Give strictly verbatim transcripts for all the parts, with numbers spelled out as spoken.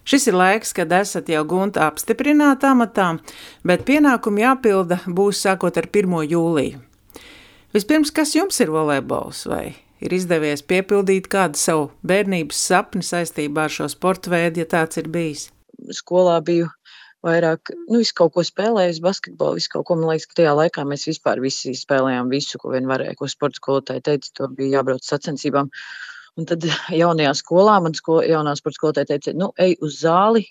Šis ir laiks, kad esat jau Gunta apstiprināta amatā, bet pienākumi jāpilda būs sākot ar pirmo jūliju. Vispirms, kas jums ir volejbols, vai ir izdevies piepildīt kādu savu bērnības sapni saistībā ar šo sporta veidu, ja tāds ir bijis? Skolā biju vairāk, nu, visu kaut ko spēlējusi, basketbolu, visu kaut ko, man liekas, ka tajā laikā mēs vispār visi spēlējām visu, ko vien varēja, ko sporta skolotāji teica, to bija jābrauc sacensībām. Un tad jaunajā skolā, man sko, jaunā sporta skolotāja teica, nu, ej uz zāli,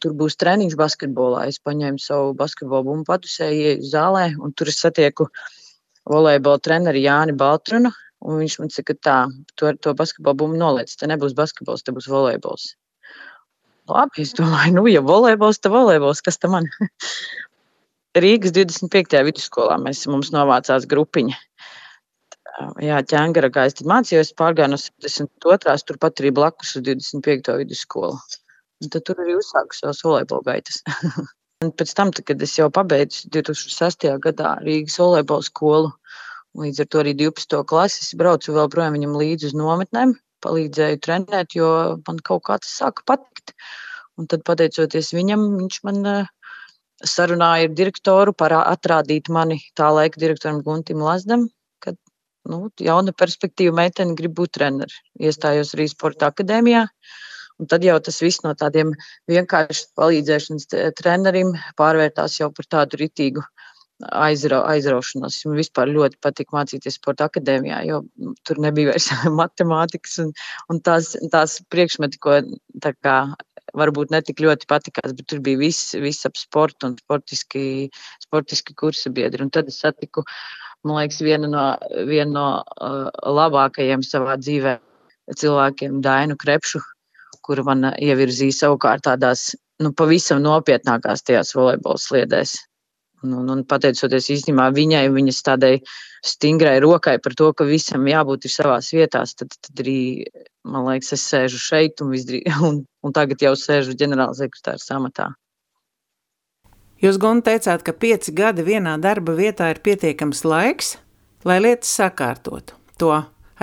tur būs treniņš basketbolā. Es paņēmu savu basketbolu bumbu padusēju, ieju zālē, un tur es satieku volejbola treneri Jāni Baltrunu, un viņš man saka, tā, to, to basketbolu bumbu noliec, te nebūs basketbols, te būs volejbols. Labi, es domāju, nu, ja volejbols, te volejbols, kas te man? Rīgas divdesmit piektajā vidusskolā mēs, mums novācās grupiņa. Jā, ķēngara es tad mācījos, pārgāju no septiņdesmit otrās, turpat arī blakus uz divdesmit piekto vidusskolu. Un tad tur arī uzsāku savas volejbola gaitas. Un pēc tam, kad es jau pabeidzu divi tūkstoši sestajā gadā Rīgas volejbola skolu, līdz ar to arī divpadsmito klasi, es braucu vēl projām viņam līdzi uz nometnēm, palīdzēju trenēt, jo man kaut kā tas sāka patikt. Un tad, pateicoties viņam, viņš man sarunāja ar direktoru par atrādīt mani tā laika direktoram Guntim Lazdam, kad nu, jauna perspektīva meitene grib būt treneri. Iestājos arī sporta akadēmijā. Un tad jau tas viss no tādiem vienkārši palīdzēšanas trenerim pārvērtās jau par tādu ritīgu aizra, aizraušanos. Man vispār ļoti patika mācīties sporta akadēmijā, jo tur nebija vairs matemātikas un, un tās, tās priekšmeti, ko tā kā varbūt netik ļoti patikās, bet tur bija viss, viss ap sportu un sportiski, sportiski kursa biedri. Un tad es satiku, man liekas, viena no, viena no uh, labākajiem savā dzīvē cilvēkiem, Dainu Krepšu, kura man ievirzīja savukārt tādās, nu, pavisam nopietnākās tajās volejbola sliedēs. Un, un, un pateicoties īstenībā viņai, viņas tādai stingrai rokai par to, ka visam jābūt ir savās vietās, tad, tad arī, man liekas, es sēžu šeit un, visdrī, un, un tagad jau sēžu ģenerāla sekretāra amatā. Jūs, Gunta, teicāt, ka pieci gadi vienā darba vietā ir pietiekams laiks, lai lietas sakārtotu. To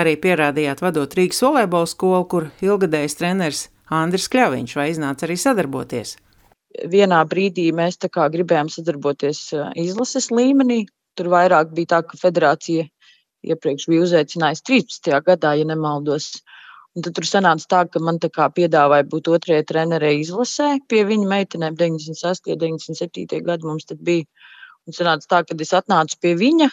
arī pierādījāt vadot Rīgas volejbola skolu, kur ilgadējs treneris Andris Kļaviņš, vai iznāca arī sadarboties? Vienā brīdī mēs tā kā gribējām sadarboties izlases līmenī. Tur vairāk bija tā, ka federācija iepriekš bija uzaicinājusi trīspadsmitajā gadā, ja nemaldos. Un tad tur sanāca tā, ka man tā kā piedāvāja būt otrajai trenerei izlasē pie viņa meitenēm deviņdesmit sestajā, deviņdesmit septītajā gadu mums tad bija. Un sanāca tā, ka es atnācu pie viņa,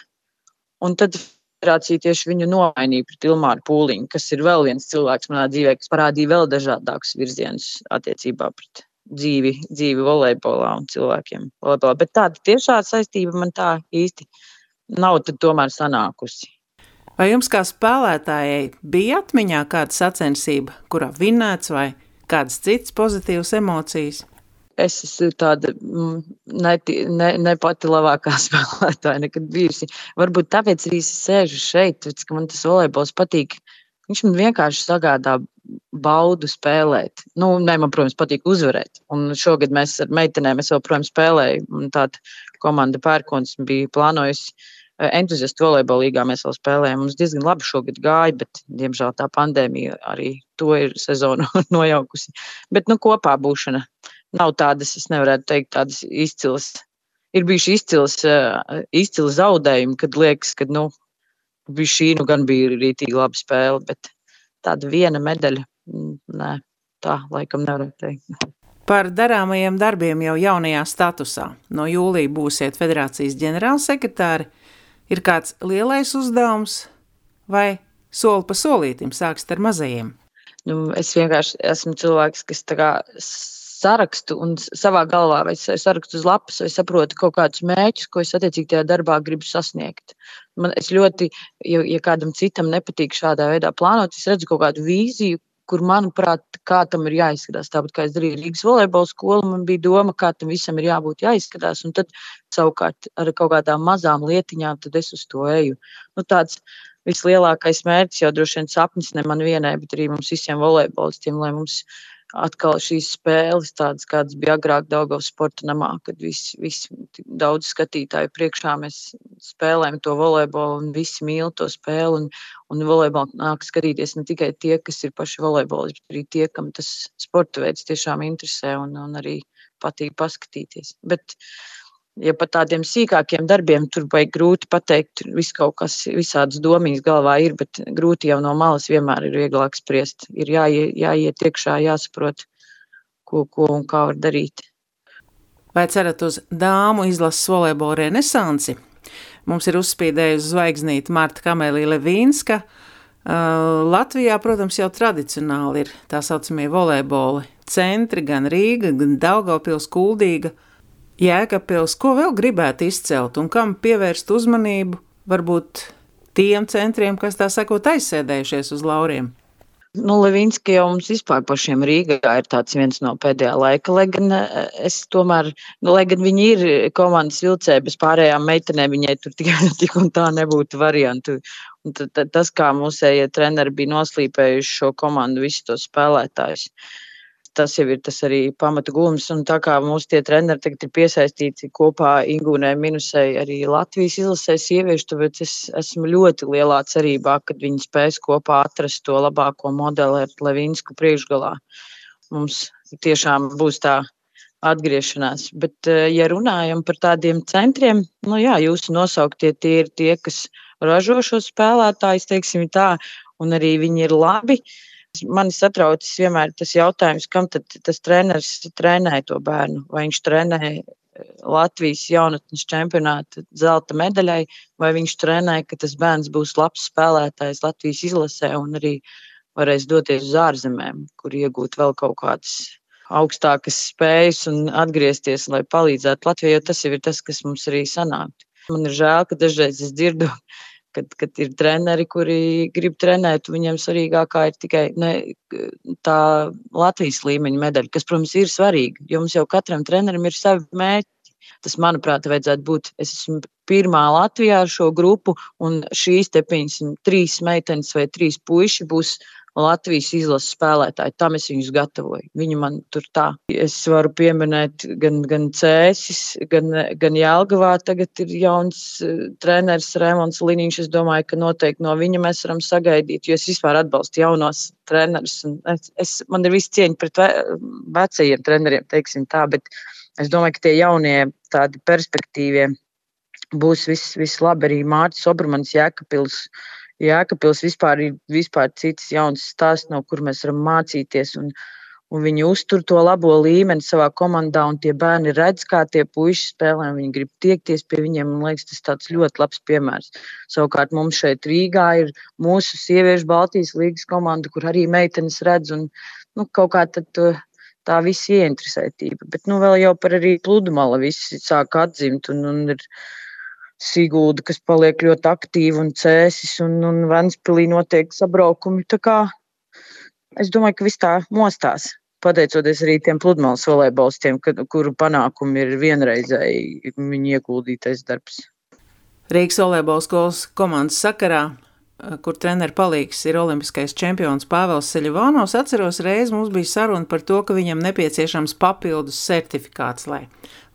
un tad federācija tieši viņu nomainīja pret Ilmāru Pūliņu, kas ir vēl viens cilvēks manā dzīvē, kas parādīja vēl dažādākus virzienus attiecībā pret dzīvi, dzīvi volejbolā un cilvēkiem volejbolā. Bet tāda tiešā saistība man tā īsti nav tad tomēr sanākusi. Vai jums kā spēlētājai bija atmiņā kāda sacensība, kurā vinnēts vai kādas citas pozitīvas emocijas? Es esmu tāda ne, ne, ne pati labākā spēlētāja nekad bijusi. Varbūt tāpēc arī es sēžu šeit, tāpēc, ka man tas volejbols patīk. Viņš man vienkārši sagādā baudu spēlēt. Nu, ne, man, protams, patīk uzvarēt. Un šogad mēs ar meitenēm, es vēl, protams, spēlēju. Un tāda komanda Pērkons bija plānojusi entuziastu volejbola līgā, mēs vēl spēlējām. Mums diezgan labi šogad gāja, bet, diemžēl, tā pandēmija arī to ir sezonu nojaukusi. Bet, nu, kopā būšana nav tādas, es nevarētu teikt, tādas izcilas. Ir bijuši izcils, izcils zaudējumi, kad liekas, ka, nu, bija šī, nu, gan bija rītīgi laba spēle, bet tāda viena medaļa, nē, tā laikam nevarētu teikt. Par darāmajiem darbiem jau jaunajā statusā. No jūlija būsiet federācijas ģenerālsekretāri. Ir kāds lielais uzdevums vai soli pa solītim sākst ar mazajiem? Nu, es vienkārši esmu cilvēks, kas tā kā sarakstu un savā galvā vai sarakstu uz lapas vai saprotu kaut kādus mērķus, ko es attiecīgi tajā darbā gribu sasniegt. Man, es ļoti, ja, ja kādam citam nepatīk šādā veidā plānot, es redzu kaut kādu vīziju, kur, manuprāt, kā tam ir jāizskatās. Tāpat kā es darīju Rīgas volejbola skolu, man bija doma, kā tam visam ir jābūt jāizskatās, un tad savukārt ar kaut kādām mazām lietiņām, tad es uz to eju. Nu, tāds vislielākais mērķis jau droši vien sapnis ne man vienai, bet arī mums visiem volejbolistiem, lai mums atkal šīs spēles, tādas, kādas bija agrāk Daugavas sporta namā, kad visi, visi daudz skatītāju priekšā mēs spēlējam to volejbolu un visi mīl to spēli. Un, un volejbolu nāk skatīties ne tikai tie, kas ir paši volejbolisti, bet arī tie, kam tas sporta veids tiešām interesē un, un arī patīk paskatīties. Bet, ja par tādiem sīkākiem darbiem tur vajag grūti pateikt, viss kaut kas, visādas domīs galvā ir, bet grūti jau no malas vienmēr ir vieglāk spriest. Ir jāiet, jāiet iekšā, jāsaprot, ko, ko un kā var darīt. Vai cerat uz dāmu izlases volejbola renesansi? Mums ir uzspīdējusi zvaigznīte Marta Kamēlija Levīnska. Uh, Latvijā, protams, jau tradicionāli ir tā saucamie volejboli centri, gan Rīga, gan Daugavpils, Kuldīga, Jēkabpils. Ko vēl gribētu izcelt un kam pievērst uzmanību? Varbūt tiem centriem, kas tā sakot aizsēdējušies uz lauriem. Nu, Levīnska jau mums vispār pašiem Rīgā ir tāds viens no pēdējā laika, lai gan es tomēr, nu, lai gan viņi ir komandas vilcēji, bez pārējām meitenēm viņai tur tikai tik un tā nebūtu variantu. Un t- t- tas, kā mūsējie treneri bija noslīpējuši šo komandu, visus tos spēlētājus, tas jau ir tas arī pamata gūms. Un tā kā mūsu tie treneri tagad ir piesaistīti kopā Ingūnai Minusei arī Latvijas izlasē sieviešu, tāpēc es esmu ļoti lielā cerībā, kad viņi spēs kopā atrast to labāko modeli ar Levīnsku priekšgalā. Mums tiešām būs tā atgriešanās. Bet, ja runājam par tādiem centriem, nu jā, jūsu nosauktie tie ir tie, kas ražo šos spēlētājus, teiksim tā, un arī viņi ir labi. Mani satraucis vienmēr tas jautājums, kam tad tas treneris trenē to bērnu. Vai viņš trenē Latvijas jaunatnes čempionāta zelta medaļai, vai viņš trenē, ka tas bērns būs labs spēlētājs Latvijas izlasē un arī varēs doties uz ārzemēm, kur iegūt vēl kaut kādas augstākas spējas un atgriezties, lai palīdzētu Latvijai, jo tas jau ir tas, kas mums arī sanāk. Man ir žēl, ka dažreiz es dzirdu, Kad, kad ir treneri, kuri grib trenēt, viņiem svarīgākā ir tikai ne, tā Latvijas līmeņa medaļa, kas, protams, ir svarīga, jo mums jau katram trenerim ir savi mērķi. Tas, manuprāt, vajadzētu būt, es esmu pirmā Latvijā ar šo grupu, un šīs te piņas trīs meitenes vai trīs puiši būs Latvijas izlases spēlētāji. Tam es viņus gatavoju. Viņi man tur tā. Es varu pieminēt gan, gan Cēsis, gan, gan Jelgavā. Tagad ir jauns uh, treneris Rēmons Liniņš. Es domāju, ka noteikti no viņa mēs varam sagaidīt, jo es vispār atbalstu jaunos trenerus. Es, es, man ir viss cieņa pret ve, vecajiem treneriem, teiksim tā, bet es domāju, ka tie jaunie tādi perspektīvie būs viss, viss labi. Arī Mārtis Obermans, Jēkabpils. Jēkabpils vispār ir vispār cits jauns stāsts, no kur mēs varam mācīties, un, un viņi uztur to labo līmeni savā komandā, un tie bērni redz, kā tie puiši spēlē, un viņi grib tiekties pie viņiem, un liekas, tas tāds ļoti labs piemērs. Savukārt mums šeit Rīgā ir mūsu sieviešu Baltijas līgas komanda, kur arī meitenes redz, un nu, kaut kā tad to, tā visi ieinteresētība. Bet nu vēl jau par arī pludmali visi sāk atzimt, un, un ir Sigulda, kas paliek ļoti aktīva, un Cēsis, un, un Ventspilī notiek sabraukumi. Tā kā es domāju, ka viss tā mostās, pateicoties arī tiem pludmales volejbolistiem, kuru panākumi ir vienreizēji viņu ieguldītais darbs. Rīgas volejbola skolas komandas sakarā, kur treneru palīgs ir olimpiskais čempions Pāvels Seļivānovs, atceros reizi mums bija saruna par to, ka viņam nepieciešams papildus certifikāts, lai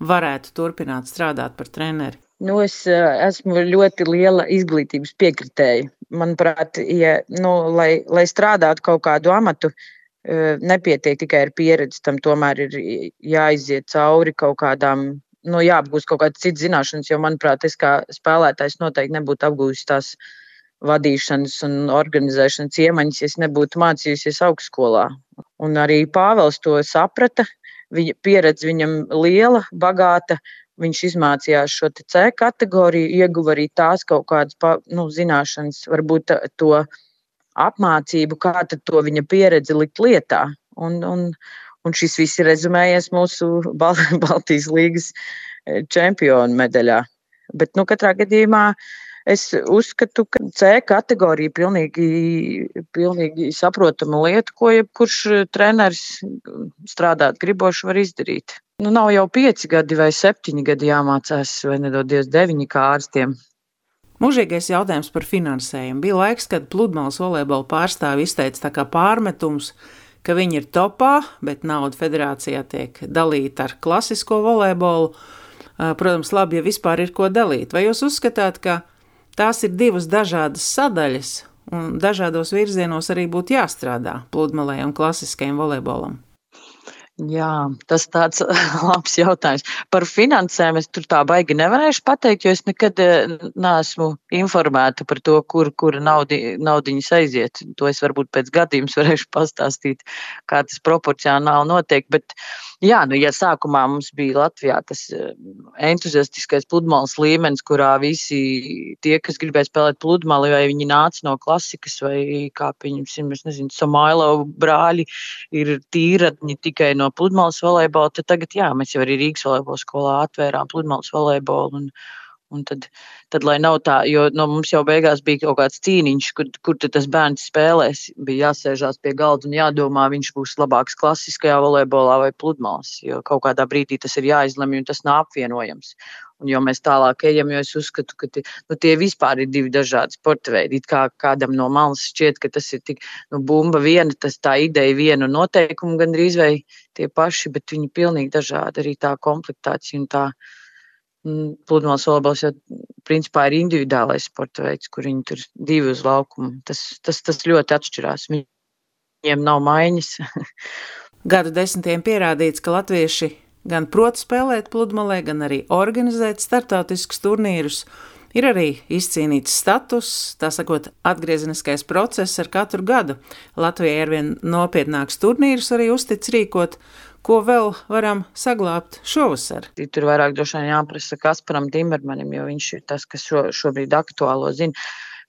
varētu turpināt strādāt par treneri. Nu, es esmu ļoti liela izglītības piekritēja. Manuprāt, ja, nu, lai, lai strādātu kaut kādu amatu, nepietiek tikai ar pieredzi, tam tomēr ir jāiziet cauri kaut kādām, nu, jāapgūst kaut kādas citas zināšanas, jo, manuprāt, es kā spēlētājs noteikti nebūtu apgūst tās vadīšanas un organizēšanas iemaņas, ja es nebūtu mācījusies augstskolā. Un arī Pāvels to saprata, viņa pieredze viņam liela, bagāta. Viņš izmācījās šo C kategoriju, ieguva arī tās kaut kādas nu, zināšanas, varbūt to apmācību, kā tad to viņa pieredzi likt lietā. Un, un, un šis viss ir rezumējies mūsu Bal- Baltijas līgas čempionu medaļā. Bet nu, katrā gadījumā es uzskatu, ka C kategorija pilnīgi, pilnīgi saprotama lieta, ko jebkurš treneris strādāt griboši var izdarīt. Nu, nav jau pieci gadi vai septiņi gadi jāmācās, vai nedodies deviņi kā ārstiem. Mūžīgais jautājums par finansējumu. Bija laiks, kad pludmales volejbola pārstāvi izteica tā kā pārmetums, ka viņi ir topā, bet nauda federācijā tiek dalīta ar klasisko volejbolu. Protams, labi, ja vispār ir ko dalīt. Vai jūs uzskatāt, ka tās ir divas dažādas sadaļas un dažādos virzienos arī būtu jāstrādā pludmalei un klasiskajam volejbolam? Jā, tas tāds labs jautājums. Par finansēm es tur tā baigi nevarēšu pateikt, jo es nekad neesmu informēta par to, kur, kur naudi, naudiņas aiziet. To es varbūt pēc gadījums varēšu pastāstīt, kā tas proporcionāli notiek. Bet jā, nu, ja sākumā mums bija Latvijā tas entuziastiskais pludmales līmenis, kurā visi tie, kas gribēja spēlēt pludmali, vai viņi nāca no klasikas, vai kā pieņemsim, es nezinu, Samailovu brāļi ir tīradņi tikai no no pludmales volejbola, tad tagad, jā, mēs jau arī Rīgas volejbola skolā atvērām pludmales volejbolu, un, un tad, tad, lai nav tā, jo no mums jau beigās bija kaut kāds cīniņš, kur, kur tad tas bērns spēlēs, bija jāsēžās pie galda un jādomā, viņš būs labāks klasiskajā volejbolā vai pludmales, jo kaut kādā brīdī tas ir jāizlemj, un tas nav apvienojams. Un jo mēs tālāk ejam, jo es uzskatu, ka tie, nu, tie vispār ir divi dažādi sporta veidi. It kā kādam no malas šķiet, ka tas ir tik, nu, bumba viena, tas tā ideja viena un noteikumi gandrīz vai tie paši, bet viņi pilnīgi dažādi. Arī tā komplektācija un tā mm, pludmales volejbols jau principā ir individuālais sporta veids, kur viņi tur divi uz laukumu. Tas, tas, tas ļoti atšķirās. Viņiem nav maiņas. Gadu desmitiem pierādīts, ka latvieši gan prot spēlēt pludmalē, gan arī organizēt startautiskus turnīrus. Ir arī izcīnīts status, tā sakot, atgriezeniskais process ar katru gadu. Latvijai arvien nopietnāks turnīrus arī uztic rīkot, ko vēl varam saglābt šovasar. Tur vairāk droši vien jāprasa Kasparam Timermanim, jo viņš ir tas, kas šo, šobrīd aktuālo zina.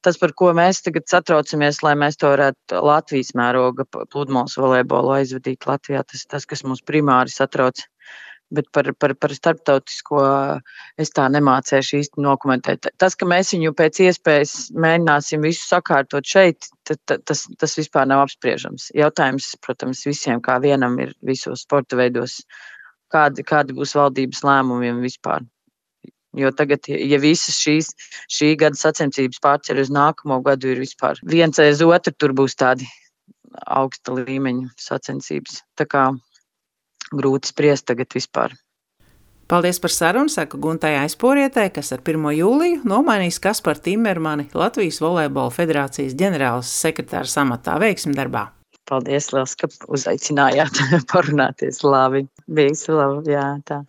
Tas, par ko mēs tagad satraucamies, lai mēs to varētu Latvijas mēroga pludmales volejbolu aizvadīt Latvijā, tas tas, kas mums primāri satrauc. Bet par, par, par starptautisko es tā nemācēšu īsti dokumentēt. Tas, ka mēs viņu pēc iespējas mēģināsim visu sakārtot šeit, tad, tas, tas vispār nav apspriežams. Jautājums, protams, visiem kā vienam ir visos sporta veidos, kādi, kādi būs valdības lēmumiem vispār. Jo tagad, ja visas šīs šī gada sacensības pārceļ uz nākamo gadu, ir vispār viens aiz otru, tur būs tādi augsta līmeņa sacensības. Tā kā grūti spriest tagad vispār. Paldies par sarunu, saka Guntai Aizporietai, kas ar pirmo jūliju nomainīs Kasparu Timermani Latvijas volejbola federācijas ģenerāls sekretārs amatā. Veiksmi darbā! Paldies, liels, ka uzaicinājāt parunāties. Labi, visu labi, jā, tā.